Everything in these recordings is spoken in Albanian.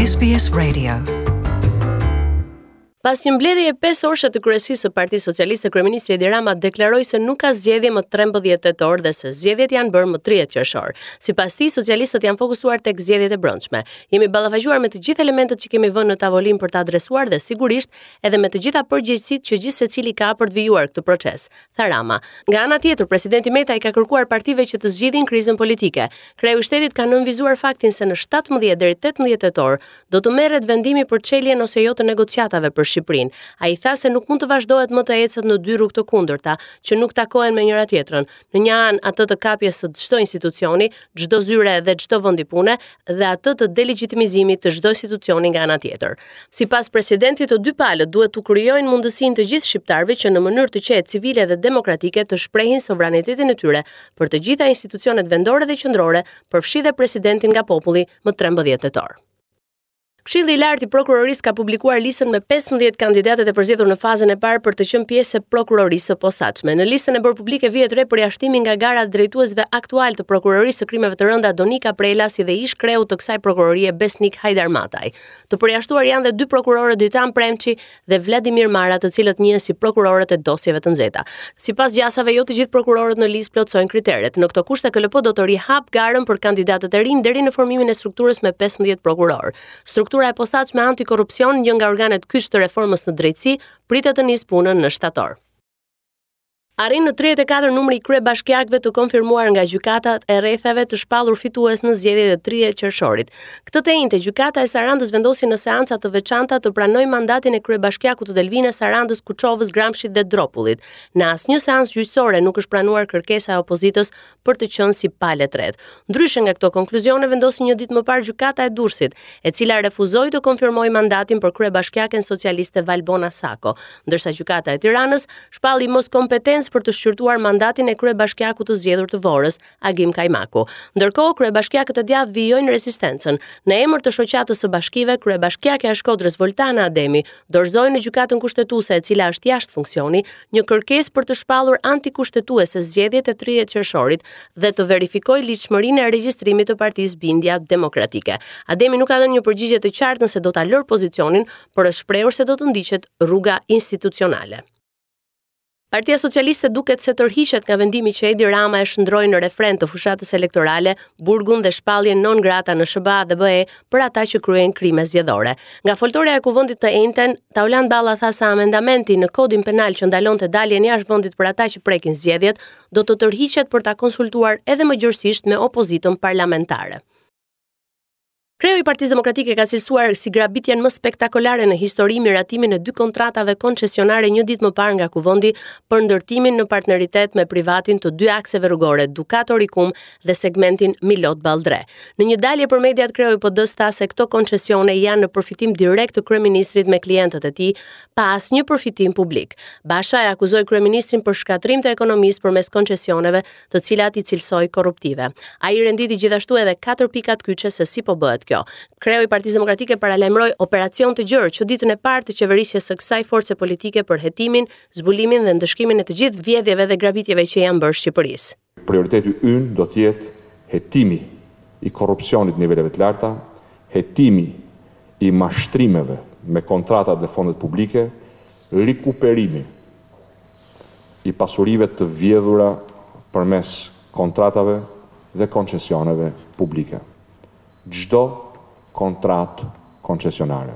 SBS Radio. Pas një mbledhjeje 5 orëshe të kryesisë së Partisë Socialiste, kryeministri Edi Rama deklaroi se nuk ka zgjedhje më 13 tetor dhe se zgjedhjet janë bërë më 30 qershor. Sipas tij, socialistët janë fokusuar tek zgjedhjet e brendshme. Jemi ballafaquar me të gjithë elementët që kemi vënë në tavolinë për të adresuar dhe sigurisht edhe me të gjitha përgjegjësitë që gjithsecili ka për të vijuar këtë proces. tha Rama. Nga ana tjetër, presidenti Meta i ka kërkuar partive që të zgjidhin krizën politike. Kreu i shtetit ka nënvizuar faktin se në 17 deri 18 tetor do të merret vendimi për çeljen ose jo të negociatave për Shqipërinë. Ai tha se nuk mund të vazhdohet më të ecet në dy rrugë të kundërta, që nuk takohen me njëra-tjetrën. Në një anë atë të kapjes së çdo institucioni, çdo zyre dhe çdo vendi pune dhe atë të delegjitimizimit të çdo institucioni nga ana tjetër. Sipas presidentit, të dy palët duhet t'u krijojnë mundësinë të gjithë shqiptarëve që në mënyrë të qetë, civile dhe demokratike të shprehin sovranitetin e tyre për të gjitha institucionet vendore dhe qendrore, përfshi dhe presidentin nga populli më 13 tetor. Këshilli i Lartë i Prokurorisë ka publikuar listën me 15 kandidatët e përzgjedhur në fazën e parë për të qenë pjesë e Prokurorisë së Posaçme. Në listën e bërë publike vihet re përjashtimi nga gara i drejtuesve aktualë të Prokurorisë së Krimeve të Rënda Donika Prela si dhe ish kreut të kësaj prokurorie Besnik Hajdarmataj. Të përjashtuar janë dhe dy prokurorët Dritan Premçi dhe Vladimir Mara, të cilët njihen si prokurorët e dosjeve të nxehta. Sipas gjasave, jo të gjithë prokurorët në listë plotësojnë kriteret. Në këto kushte KLP do të rihapë garën për kandidatët e rinj deri në formimin e strukturës me 15 prokurorë. Struktura e posaçme antikorrupsion, një nga organet kyç të reformës në drejtësi, pritet të nisë punën në shtator. Arrin në 34 numri i kryebashkiakëve të konfirmuar nga gjykatat e rretheve të shpallur fitues në zgjedhjet e 30 qershorit. Këtë të enjte, gjykata e Sarandës vendosi në seanca të veçanta të pranojë mandatin e kryebashkiakut të Delvinës, Sarandës, Kuçovës, Gramshit dhe Dropullit. Në asnjë seancë gjyqësore nuk është pranuar kërkesa e opozitës për të qenë si palë e tretë. Ndryshe nga këto konkluzione vendosi një ditë më parë gjykata e Durrësit, e cila refuzoi të konfirmojë mandatin për kryebashkiaken socialiste Valbona Sako, ndërsa gjykata e Tiranës shpalli moskompetencë për të shqyrtuar mandatin e kryebashkiakut të zgjedhur të Vorës, Agim Kajmaku. Ndërkohë, kryebashkiakët e djathtë vijojnë rezistencën. Në emër të shoqatës së bashkive, kryebashkiakja e Shkodrës Voltana Ademi dorëzoi në Gjykatën Kushtetuese, e cila është jashtë funksioni, një kërkesë për të shpallur antikushtetuese zgjedhjet e 30 qershorit dhe të verifikojë ligjshmërinë e regjistrimit të partisë Bindja Demokratike. Ademi nuk ka dhënë një përgjigje të qartë nëse do ta lërë pozicionin, por është shprehur se do të ndiqet rruga institucionale. Partia Socialiste duket se tërhiqet nga vendimi që Edi Rama e shndërroi në refren të fushatës elektorale, burgun dhe shpalljen non grata në SHBA dhe BE për ata që kryejnë krime zgjedhore. Nga foltorja e Kuvendit të enjten, Taulant Balla tha se amendamenti në kodin penal që ndalonte daljen jashtë vendit për ata që prekin zgjedhjet, do të tërhiqet për ta konsultuar edhe më gjerësisht me opozitën parlamentare. Kreu i Partisë Demokratike ka cilësuar si grabitjen më spektakolare në histori miratimin e dy kontratave koncesionare një ditë më parë nga Kuvendi për ndërtimin në partneritet me privatin të dy akseve rrugore Dukat-Orikum dhe segmentin Milot-Balldre. Në një dalje për mediat kreu i PD-së tha se këto koncesione janë në përfitim direkt të kryeministrit me klientët e tij, pa asnjë përfitim publik. Basha e akuzoi kryeministrin për shkatërrim të ekonomisë përmes koncesioneve të cilat i cilësoi korruptive. Ai renditi gjithashtu edhe katër pikat kyçe se si po bëhet kjo. Kreu i Partisë Demokratike paralajmëroi operacion të gjerë që ditën e parë të qeverisjes së kësaj force politike për hetimin, zbulimin dhe ndëshkimin e të gjithë vjedhjeve dhe grabitjeve që i janë bërë Shqipërisë. Prioriteti ynë do të jetë hetimi i korrupsionit të niveleve të larta, hetimi i mashtrimeve me kontratat dhe fondet publike, rikuperimi i pasurive të vjedhura përmes kontratave dhe koncesioneve publike. Çdo kontratë koncesionare,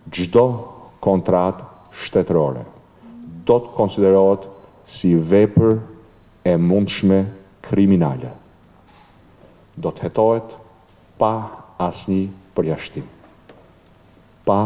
çdo kontratë shtetërore do të konsiderohet si vepër e mundshme kriminale. Do të hetohet pa asnjë përjashtim. Pa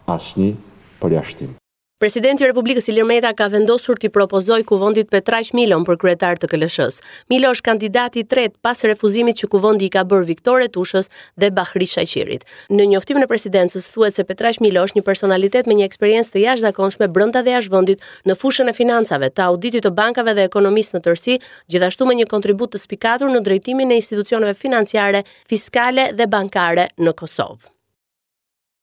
asnjë përjashtim. Presidenti i Republikës Ilir Meta ka vendosur t'i propozojë Kuvendit Petraq Milon për kryetar të KLSH-së. Milo është kandidati i tretë pas refuzimit që Kuvendi i ka bërë Viktor Etushës dhe Bahri Shaqirit. Në njoftimin e presidencës thuhet se Petraq Milo është një personalitet me një eksperiencë të jashtëzakonshme brenda dhe jashtë vendit në fushën e financave, të auditit të bankave dhe ekonomisë në tërësi, gjithashtu me një kontribut të spikatur në drejtimin e institucioneve financiare, fiskale dhe bankare në Kosovë.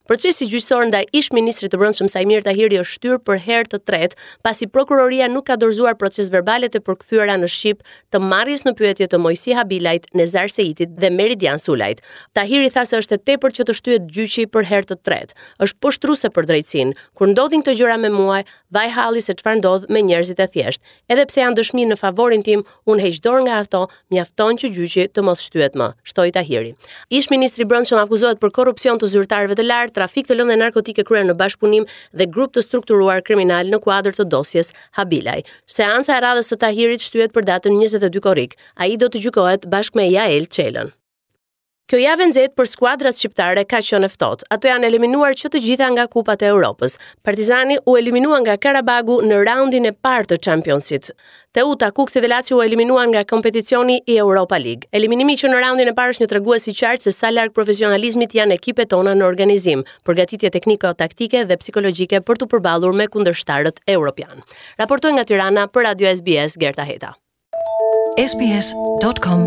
Procesi gjyqësor ndaj ish-ministrit të Brendshëm Saimir Tahiri është shtyrë për herë të tretë, pasi prokuroria nuk ka dorëzuar procesverbalet e përkthyera në shqip të marrjes në pyetje të Moisi Habilajt, Nezar Seitit dhe Meridian Sulajt. Tahiri tha se është e tepërt që të shtyhet gjyqi për herë të tretë. Është poshtëruese për drejtësinë. Kur ndodhin këto gjëra me mua, vaj halli se çfarë ndodh me njerëzit e thjeshtë. Edhe pse janë dëshmi në favorin tim, unë heq dorë nga ato, mjafton që gjyqi të mos shtyhet më, shtoi Tahiri. Ish-ministri i Brendshëm akuzohet për korrupsion të zyrtarëve të lartë, trafik të lëndëve narkotike kryer në bashkëpunim dhe grup të strukturuar kriminal në kuadër të dosjes Habilaj. Seanca e radhës së Tahirit shtyhet për datën 22 korrik. Ai do të gjykohet bashkë me Jael Çelën. Kjo javë e nxehtë për skuadrat shqiptare ka qenë e ftohtë. Ato janë eliminuar që të gjitha nga kupat e Europës. Partizani u eliminua nga Karabagu në raundin e parë të Championsit. Teuta, Kukësi dhe Lazio u eliminuan nga kompeticioni i Europa League. Eliminimi që në raundin e parë është një tregues i qartë se sa larg profesionalizmit janë ekipet tona në organizim, përgatitje tekniko-taktike dhe psikologjike për t'u përballur me kundërshtarët europianë. Raportoi nga Tirana për Radio SBS Gerta Heta. sbs.com.au.